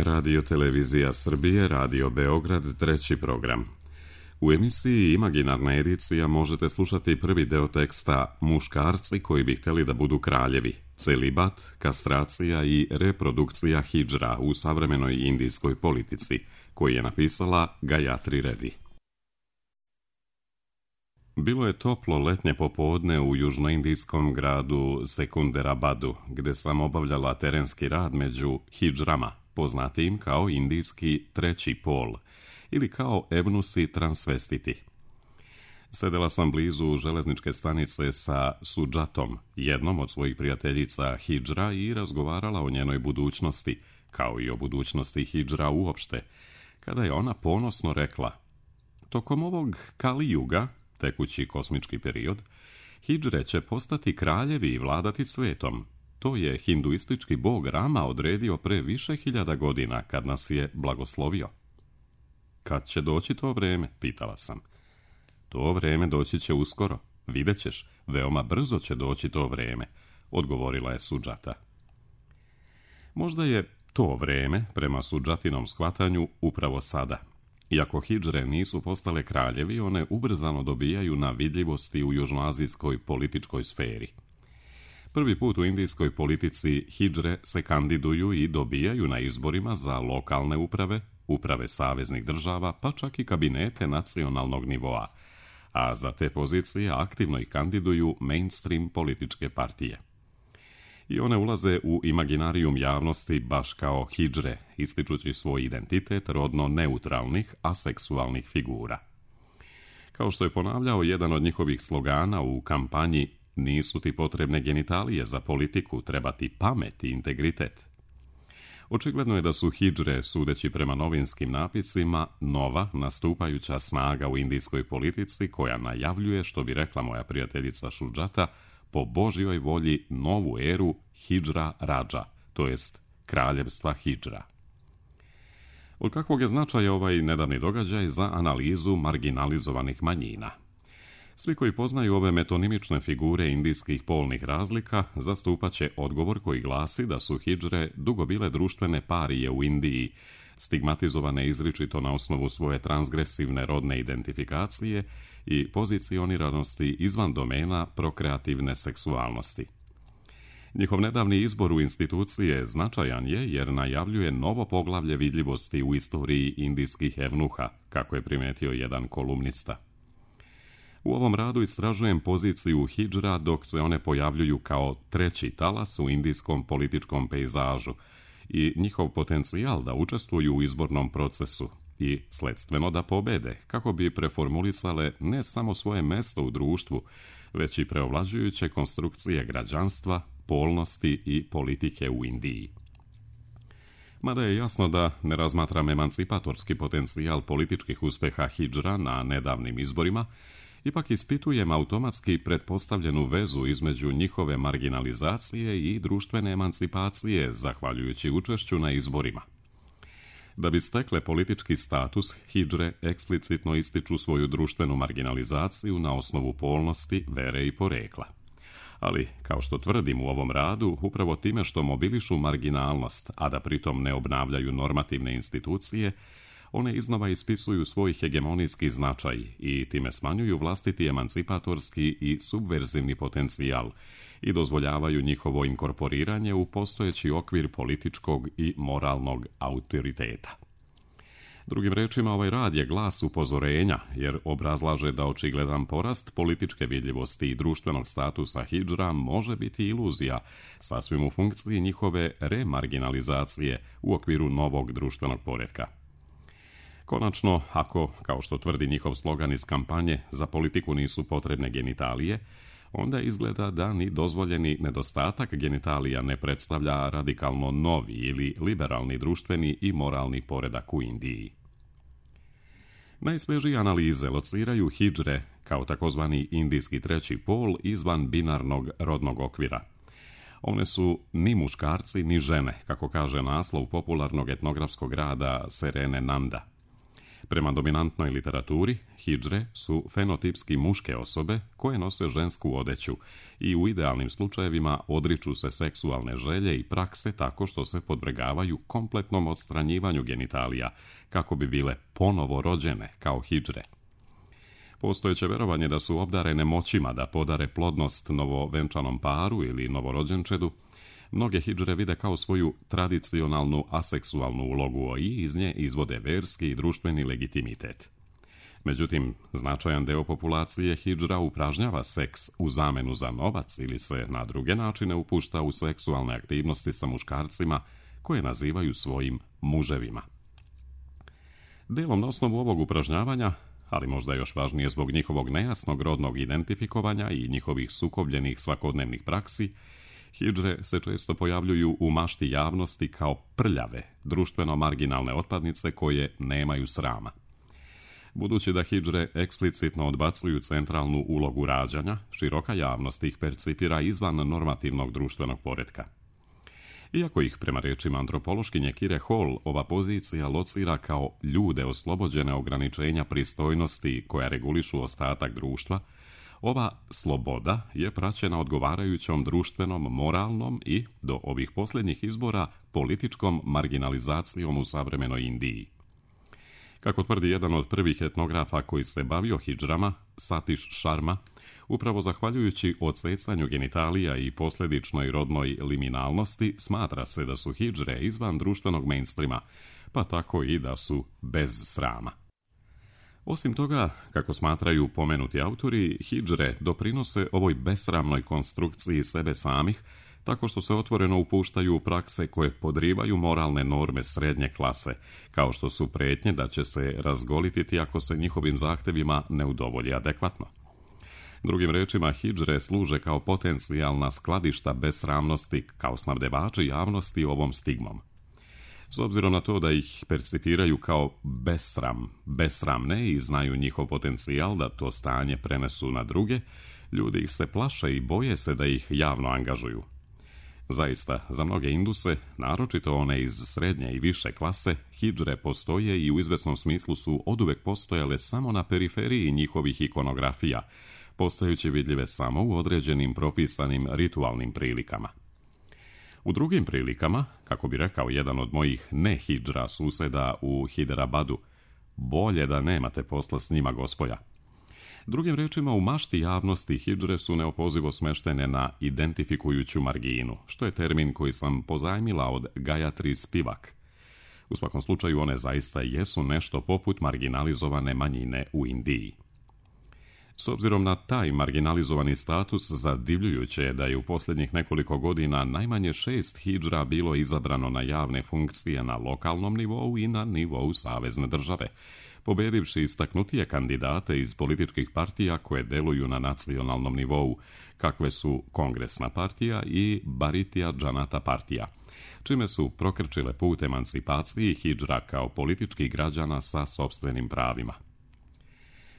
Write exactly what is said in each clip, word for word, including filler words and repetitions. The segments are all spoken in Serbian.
Radio Televizija Srbije, Radio Beograd, treći program. U emisiji Imaginarna edicija možete slušati prvi deo teksta Muškarci koji bi htjeli da budu kraljevi, celibat, kastracija i reprodukcija hidžra u savremenoj indijskoj politici, koji je napisala Gayatri Reddy. Bilo je toplo letnje popodne u južnoindijskom gradu Sekunderabadu, gde sam obavljala terenski rad među hidžrama, poznatijim kao indijski treći pol, ili kao ebnusi transvestiti. Sedela sam blizu železničke stanice sa Sudžatom, jednom od svojih prijateljica hidžra, i razgovarala o njenoj budućnosti, kao i o budućnosti hidžra uopšte, kada je ona ponosno rekla: tokom ovog Kali Juga, tekući kosmički period, hidžre će postati kraljevi i vladati svetom. To je hinduistički bog Rama odredio pre više hiljada godina, kad nas je blagoslovio. Kad će doći to vreme, pitala sam. To vreme doći će uskoro, vidjet ćeš, veoma brzo će doći to vreme, odgovorila je Sudžata. Možda je to vreme, prema Sudžatinom shvatanju, upravo sada. Iako hidžre nisu postale kraljevi, one ubrzano dobijaju na vidljivosti u južnoazijskoj političkoj sferi. Prvi put u indijskoj politici hidžre se kandiduju i dobijaju na izborima za lokalne uprave, uprave saveznih država, pa čak i kabinete nacionalnog nivoa, a za te pozicije aktivno ih kandiduju mainstream političke partije. I one ulaze u imaginarijum javnosti baš kao hidžre, ističući svoj identitet rodno neutralnih, aseksualnih figura. Kao što je ponavljao jedan od njihovih slogana u kampanji: nisu ti potrebne genitalije za politiku, treba ti pamet i integritet. Očigledno je da su hidžre, sudeći prema novinskim napisima, nova, nastupajuća snaga u indijskoj politici koja najavljuje, što bi rekla moja prijateljica Sudžata, po Božjoj volji novu eru hidžra rađa, to jest kraljevstva hidžra. Od kakvog je značaja ovaj nedavni događaj za analizu marginalizovanih manjina? Svi koji poznaju ove metonimične figure indijskih polnih razlika zastupat će odgovor koji glasi da su hidžre dugo bile društvene parije u Indiji, stigmatizovane izričito na osnovu svoje transgresivne rodne identifikacije i pozicioniranosti izvan domena prokreativne seksualnosti. Njihov nedavni izbor u institucije značajan je jer najavljuje novo poglavlje vidljivosti u istoriji indijskih evnuha, kako je primetio jedan kolumnista. U ovom radu istražujem poziciju hidžra dok se one pojavljuju kao treći talas u indijskom političkom pejzažu i njihov potencijal da učestvuju u izbornom procesu i sledstveno da pobede, kako bi preformulisale ne samo svoje mesto u društvu, već i preovlađujuće konstrukcije građanstva, polnosti i politike u Indiji. Mada je jasno da ne razmatram emancipatorski potencijal političkih uspeha hidžra na nedavnim izborima, ipak ispitujem automatski pretpostavljenu vezu između njihove marginalizacije i društvene emancipacije, zahvaljujući učešću na izborima. Da bi stekle politički status, hidžre eksplicitno ističu svoju društvenu marginalizaciju na osnovu polnosti, vere i porekla. Ali, kao što tvrdim u ovom radu, upravo time što mobilišu marginalnost, a da pritom ne obnavljaju normativne institucije, one iznova ispisuju svoj hegemonijski značaj i time smanjuju vlastiti emancipatorski i subverzivni potencijal i dozvoljavaju njihovo inkorporiranje u postojeći okvir političkog i moralnog autoriteta. Drugim rečima, ovaj rad je glas upozorenja, jer obrazlaže da očigledan porast političke vidljivosti i društvenog statusa hidžra može biti iluzija, sasvim u funkciji njihove remarginalizacije u okviru novog društvenog poretka. Konačno, ako, kao što tvrdi njihov slogan iz kampanje, za politiku nisu potrebne genitalije, onda izgleda da ni dozvoljeni nedostatak genitalija ne predstavlja radikalno novi ili liberalni društveni i moralni poredak u Indiji. Najsvežije analize lociraju hidžre kao takozvani indijski treći pol izvan binarnog rodnog okvira. One su ni muškarci ni žene, kako kaže naslov popularnog etnografskog rada Serene Nanda. Prema dominantnoj literaturi, hidžre su fenotipski muške osobe koje nose žensku odeću i u idealnim slučajevima odriču se seksualne želje i prakse tako što se podvrgavaju kompletnom odstranjivanju genitalija kako bi bile ponovo rođene kao hidžre. Postojeće verovanje da su obdarene moćima da podare plodnost novovenčanom paru ili novorođenčedu, mnoge hidžre vide kao svoju tradicionalnu aseksualnu ulogu i iz nje izvode verski i društveni legitimitet. Međutim, značajan deo populacije hidžra upražnjava seks u zamenu za novac ili se na druge načine upušta u seksualne aktivnosti sa muškarcima koje nazivaju svojim muževima. Delom na osnovu ovog upražnjavanja, ali možda još važnije zbog njihovog nejasnog rodnog identifikovanja i njihovih sukobljenih svakodnevnih praksi, hidžre se često pojavljuju u mašti javnosti kao prljave, društveno marginalne otpadnice koje nemaju srama. Budući da hidžre eksplicitno odbacuju centralnu ulogu rađanja, široka javnost ih percipira izvan normativnog društvenog poretka. Iako ih, prema rečima antropološkinje Kire Hall, ova pozicija locira kao ljude oslobođene ograničenja pristojnosti koja regulišu ostatak društva, ova sloboda je praćena odgovarajućom društvenom, moralnom i, do ovih posljednjih izbora, političkom marginalizacijom u savremenoj Indiji. Kako tvrdi jedan od prvih etnografa koji se bavio hidžrama, Satish Sharma, upravo zahvaljujući odsecanju genitalija i posljedičnoj rodnoj liminalnosti, smatra se da su hidžre izvan društvenog mainstreama, pa tako i da su bez srama. Osim toga, kako smatraju pomenuti autori, hidžre doprinose ovoj besramnoj konstrukciji sebe samih, tako što se otvoreno upuštaju u prakse koje podrivaju moralne norme srednje klase, kao što su prijetnje da će se razgolititi ako se njihovim zahtevima ne udovolji adekvatno. Drugim rečima, hidžre služe kao potencijalna skladišta besramnosti, kao snabdevači javnosti ovom stigmom. S obzirom na to da ih percipiraju kao besram, besramne i znaju njihov potencijal da to stanje prenesu na druge, ljudi ih se plaše i boje se da ih javno angažuju. Zaista, za mnoge Induse, naročito one iz srednje i više klase, hidžre postoje i u izvesnom smislu su oduvek postojale samo na periferiji njihovih ikonografija, postajući vidljive samo u određenim propisanim ritualnim prilikama. U drugim prilikama, kako bi rekao jedan od mojih ne-hidžra suseda u Hiderabadu, bolje da nemate posla s njima, gospoja. Drugim rečima, u mašti javnosti hidžre su neopozivo smeštene na identifikujuću marginu, što je termin koji sam pozajmila od Gayatri Spivak. U svakom slučaju one zaista jesu nešto poput marginalizovane manjine u Indiji. S obzirom na taj marginalizovani status, zadivljujuće je da je u posljednjih nekoliko godina najmanje šest hidžra bilo izabrano na javne funkcije na lokalnom nivou i na nivou savezne države, pobedivši istaknutije kandidate iz političkih partija koje deluju na nacionalnom nivou, kakve su Kongresna partija i Bharatiya Janata partija, čime su prokrčile put emancipaciji hidžra kao političkih građana sa sopstvenim pravima.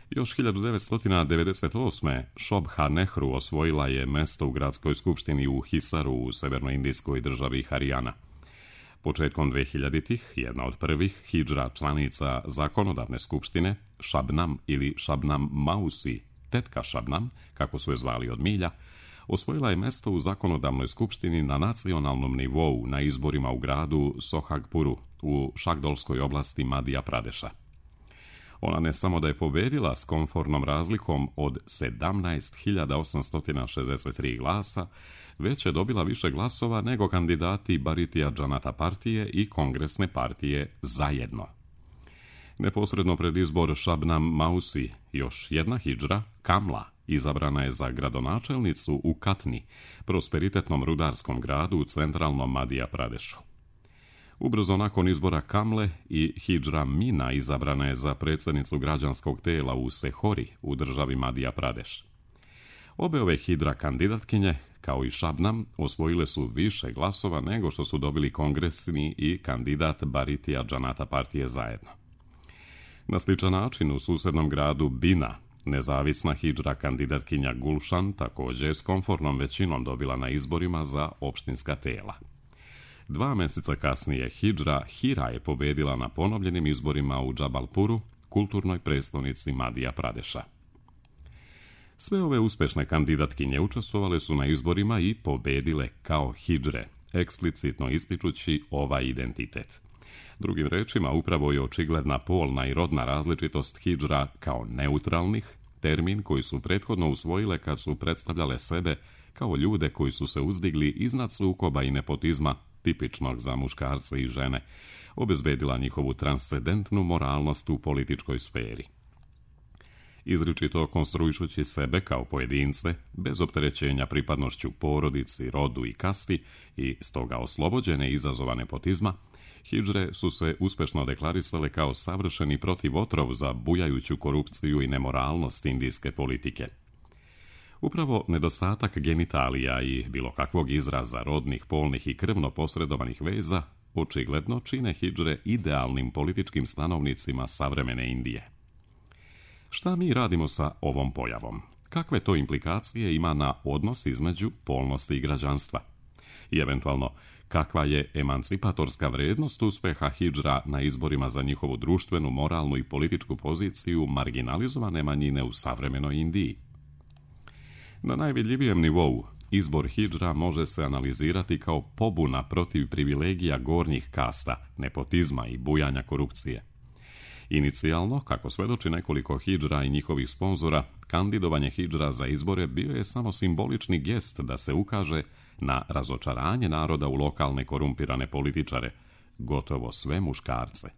Još hiljadu devetsto devedeset osme. Shobha Nehru osvojila je mesto u gradskoj skupštini u Hisaru u severnoindijskoj državi Harijana. Početkom dvehiljaditih jedna od prvih hidžra članica zakonodavne skupštine, Shabnam ili Shabnam Mausi, tetka Shabnam, kako su je zvali od milja, osvojila je mesto u zakonodavnoj skupštini na nacionalnom nivou na izborima u gradu Sohagpuru u Šakdolskoj oblasti Madhya Pradeša. Ona ne samo da je pobedila s komfornom razlikom od sedamnaest hiljada osamsto šezdeset tri glasa, već je dobila više glasova nego kandidati Bharatiya Janata partije i Kongresne partije zajedno. Neposredno pred izbor Shabnam Mausi, još jedna hidžra, Kamla, izabrana je za gradonačelnicu u Katni, prosperitetnom rudarskom gradu u centralnom Madhya Pradešu. Ubrzo nakon izbora Kamle i hidžra Mina izabrana je za predsjednicu građanskog tela u Sehori u državi Madhya Pradeš. Obe ove hidra kandidatkinje, kao i Shabnam, osvojile su više glasova nego što su dobili kongresni i kandidat Bharatiya Janata partije zajedno. Na sličan način u susjednom gradu Bina, nezavisna hidžra kandidatkinja Gulshan također s komfornom većinom dobila na izborima za opštinska tela. Dva mjeseca kasnije hidžra Hira je pobedila na ponovljenim izborima u Džabalpuru kulturnoj prestonici Madija Pradeša. Sve ove uspešne kandidatkinje učestvovale su na izborima i pobedile kao hidžre, eksplicitno ističući ovaj identitet. Drugim rečima, upravo je očigledna polna i rodna različitost hidžra kao neutralnih, termin koji su prethodno usvojile kad su predstavljale sebe kao ljude koji su se uzdigli iznad sukoba i nepotizma tipičnog za muškarce i žene, obezbedila njihovu transcendentnu moralnost u političkoj sferi. Izričito konstruišući sebe kao pojedince, bez opterećenja pripadnošću porodici, rodu i kasti i stoga oslobođene izazova nepotizma, hidžre su se uspešno deklarisale kao savršeni protivotrov za bujajuću korupciju i nemoralnost indijske politike. Upravo nedostatak genitalija i bilo kakvog izraza rodnih, polnih i krvno posredovanih veza očigledno čine hidžre idealnim političkim stanovnicima savremene Indije. Šta mi radimo sa ovom pojavom? Kakve to implikacije ima na odnos između polnosti i građanstva? I eventualno, kakva je emancipatorska vrednost uspeha hidžra na izborima za njihovu društvenu, moralnu i političku poziciju marginalizovane manjine u savremenoj Indiji? Na najvidljivijem nivou, izbor hidžra može se analizirati kao pobuna protiv privilegija gornjih kasta, nepotizma i bujanja korupcije. Inicijalno, kako svedoči nekoliko hidžra i njihovih sponzora, kandidovanje hidžra za izbore bio je samo simbolični gest da se ukaže na razočaranje naroda u lokalne korumpirane političare, gotovo sve muškarce.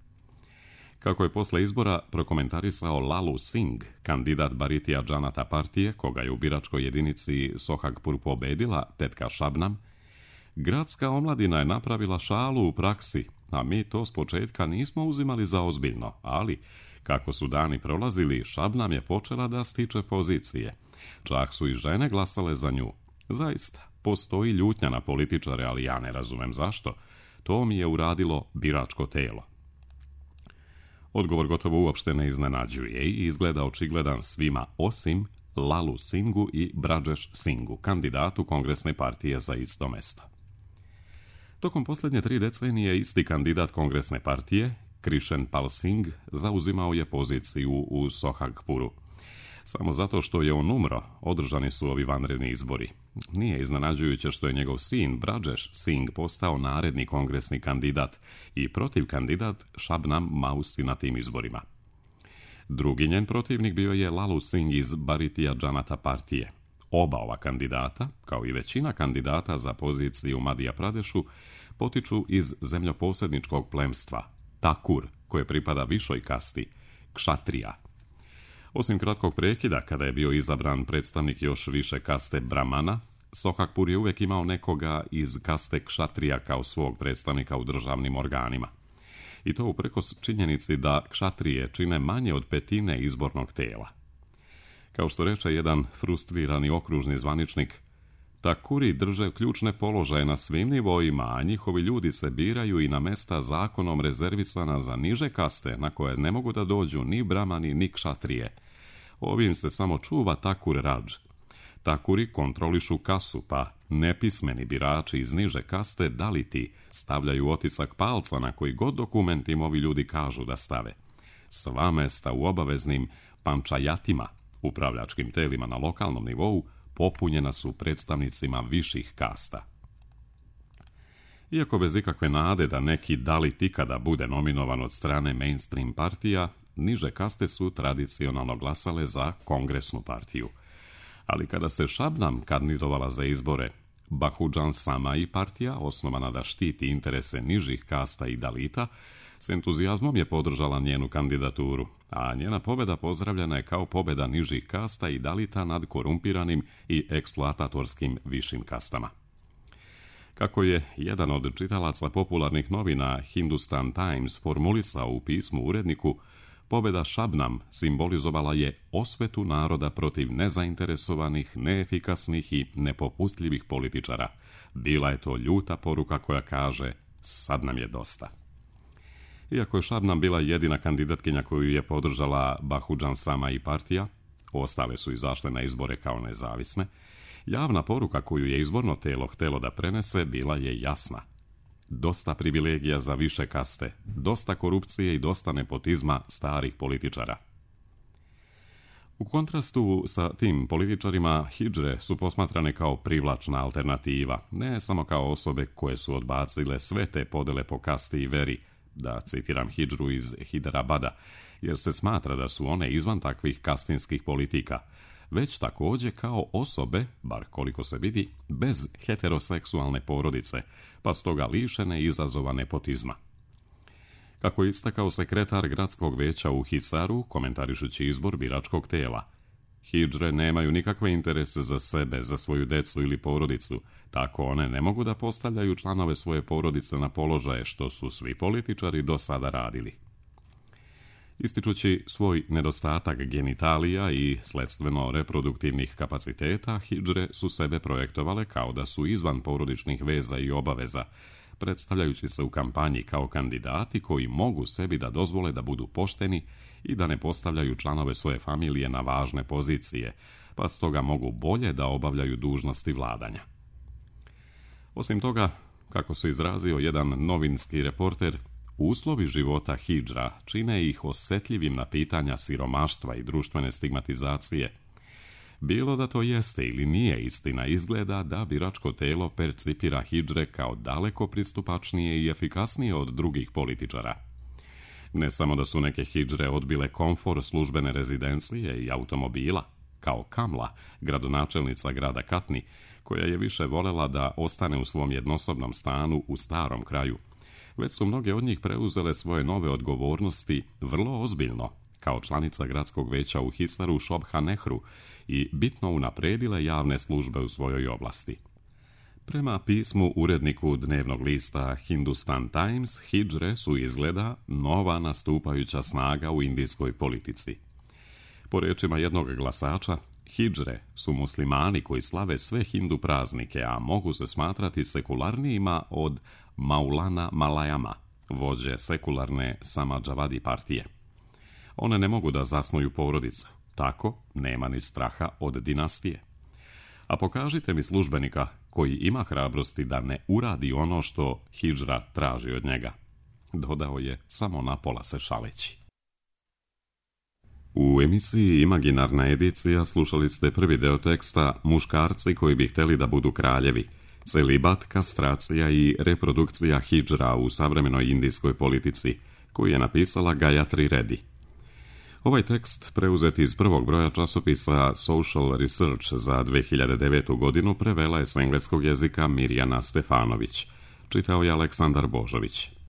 Kako je posle izbora prokomentarisao Lalu Singh, kandidat Bharatiya Janata partije, koga je u biračkoj jedinici Sohagpur pobedila tetka Shabnam, gradska omladina je napravila šalu u praksi, a mi to s početka nismo uzimali za ozbiljno, ali kako su dani prolazili, Shabnam je počela da stiče pozicije. Čak su i žene glasale za nju. Zaista, postoji ljutnja na političare, ali ja ne razumem zašto. To mi je uradilo biračko telo. Odgovor gotovo uopšte ne iznenađuje i izgleda očigledan svima osim Lalu Singhu i Brajesh Singhu, kandidatu Kongresne partije za isto mesto. Tokom posljednje tri decenije isti kandidat Kongresne partije, Krishan Pal Singh, zauzimao je poziciju u Sohagpuru. Samo zato što je on umro, održani su ovi vanredni izbori. Nije iznenađujuće što je njegov sin Brajesh Singh postao naredni kongresni kandidat i protiv kandidat Shabnam Mausi na tim izborima. Drugi njen protivnik bio je Lalu Singh iz Bharatiya Janata partije. Oba ova kandidata, kao i većina kandidata za poziciju u Madija Pradešu, potiču iz zemljoposjedničkog plemstva, Takur, koje pripada višoj kasti, Kshatriya. Osim kratkog prekida, kada je bio izabran predstavnik još više kaste Brahmana, Sohagpur je uvijek imao nekoga iz kaste Kshatriya kao svog predstavnika u državnim organima. I to uprkos činjenici da Kshatrije čine manje od petine izbornog tela. Kao što reče jedan frustrirani okružni zvaničnik, Takuri drže ključne položaje na svim nivoima, a njihovi ljudi se biraju i na mesta zakonom rezervisana za niže kaste, na koje ne mogu da dođu ni Brahmani ni Kshatrije. Ovim se samo čuva Takur Raj. Takuri kontrolišu kasu, pa nepismeni birači iz niže kaste Daliti stavljaju otisak palca na koji god dokument im ovi ljudi kažu da stave. Sva mesta u obaveznim pančajatima, upravljačkim telima na lokalnom nivou, popunjena su predstavnicima viših kasta. Iako bez ikakve nade da neki Dalit ikada bude nominovan od strane mainstream partija, niže kaste su tradicionalno glasale za Kongresnu partiju. Ali kada se Shabnam kandidovala za izbore, Bahujan Samai partija, osnovana da štiti interese nižih kasta i Dalita, s entuzijazmom je podržala njenu kandidaturu, a njena pobjeda pozdravljena je kao pobjeda nižih kasta i Dalita nad korumpiranim i eksploatatorskim višim kastama. Kako je jedan od čitalaca popularnih novina Hindustan Times formulisao u pismu uredniku, pobjeda Shabnam simbolizovala je osvetu naroda protiv nezainteresovanih, neefikasnih i nepopustljivih političara. Bila je to ljuta poruka koja kaže, sad nam je dosta. Iako je Shabnam bila jedina kandidatkinja koju je podržala Bahujan Samai partija, ostale su izašle na izbore kao nezavisne, javna poruka koju je izborno telo htelo da prenese bila je jasna. dosta privilegija za više kaste, dosta korupcije i dosta nepotizma starih političara. U kontrastu sa tim političarima, hidžre su posmatrane kao privlačna alternativa, ne samo kao osobe koje su odbacile sve te podele po kasti i veri, da citiram hidžru iz Hiderabada, jer se smatra da su one izvan takvih kastinskih politika, već također kao osobe, bar koliko se vidi, bez heteroseksualne porodice, pa stoga lišene izazova nepotizma. Kako je istakao sekretar gradskog veća u Hisaru, komentarišući izbor biračkog tela, hidžre nemaju nikakve interese za sebe, za svoju decu ili porodicu, tako one ne mogu da postavljaju članove svoje porodice na položaje što su svi političari do sada radili. Ističući svoj nedostatak genitalija i sledstveno reproduktivnih kapaciteta, hidžre su sebe projektovale kao da su izvan porodičnih veza i obaveza, predstavljajući se u kampanji kao kandidati koji mogu sebi da dozvole da budu pošteni i da ne postavljaju članove svoje familije na važne pozicije, pa stoga mogu bolje da obavljaju dužnosti vladanja. Osim toga, kako se izrazio jedan novinski reporter, uslovi života hidžra čine ih osjetljivim na pitanja siromaštva i društvene stigmatizacije. Bilo da to jeste ili nije istina, izgleda da biračko telo percipira hidžre kao daleko pristupačnije i efikasnije od drugih političara. Ne samo da su neke hidžre odbile komfor službene rezidencije i automobila, kao Kamla, gradonačelnica grada Katni, koja je više volela da ostane u svom jednosobnom stanu u starom kraju, već su mnoge od njih preuzele svoje nove odgovornosti vrlo ozbiljno, kao članica gradskog veća u Hisaru Šobha Nehru, i bitno unapredile javne službe u svojoj oblasti. Prema pismu uredniku dnevnog lista Hindustan Times, hidžre su izgleda nova nastupajuća snaga u indijskoj politici. Po rečima jednog glasača, hidžre su muslimani koji slave sve hindu praznike, a mogu se smatrati sekularnijima od Maulana Malayama, vođe sekularne Samajvadi partije. One ne mogu da zasnuju porodicu, tako nema ni straha od dinastije. A pokažite mi službenika koji ima hrabrosti da ne uradi ono što hidžra traži od njega, dodao je samo napola se šaleći. U emisiji Imaginarna edicija slušali ste prvi deo teksta Muškarci koji bi htjeli da budu kraljevi, celibat, kastracija i reprodukcija hidžra u savremenoj indijskoj politici, koju je napisala Gayatri Reddy. Ovaj tekst, preuzet iz prvog broja časopisa Social Research za dve hiljade devetu. godinu, prevela je s engleskog jezika Mirjana Stefanović. Čitao je Aleksandar Božović.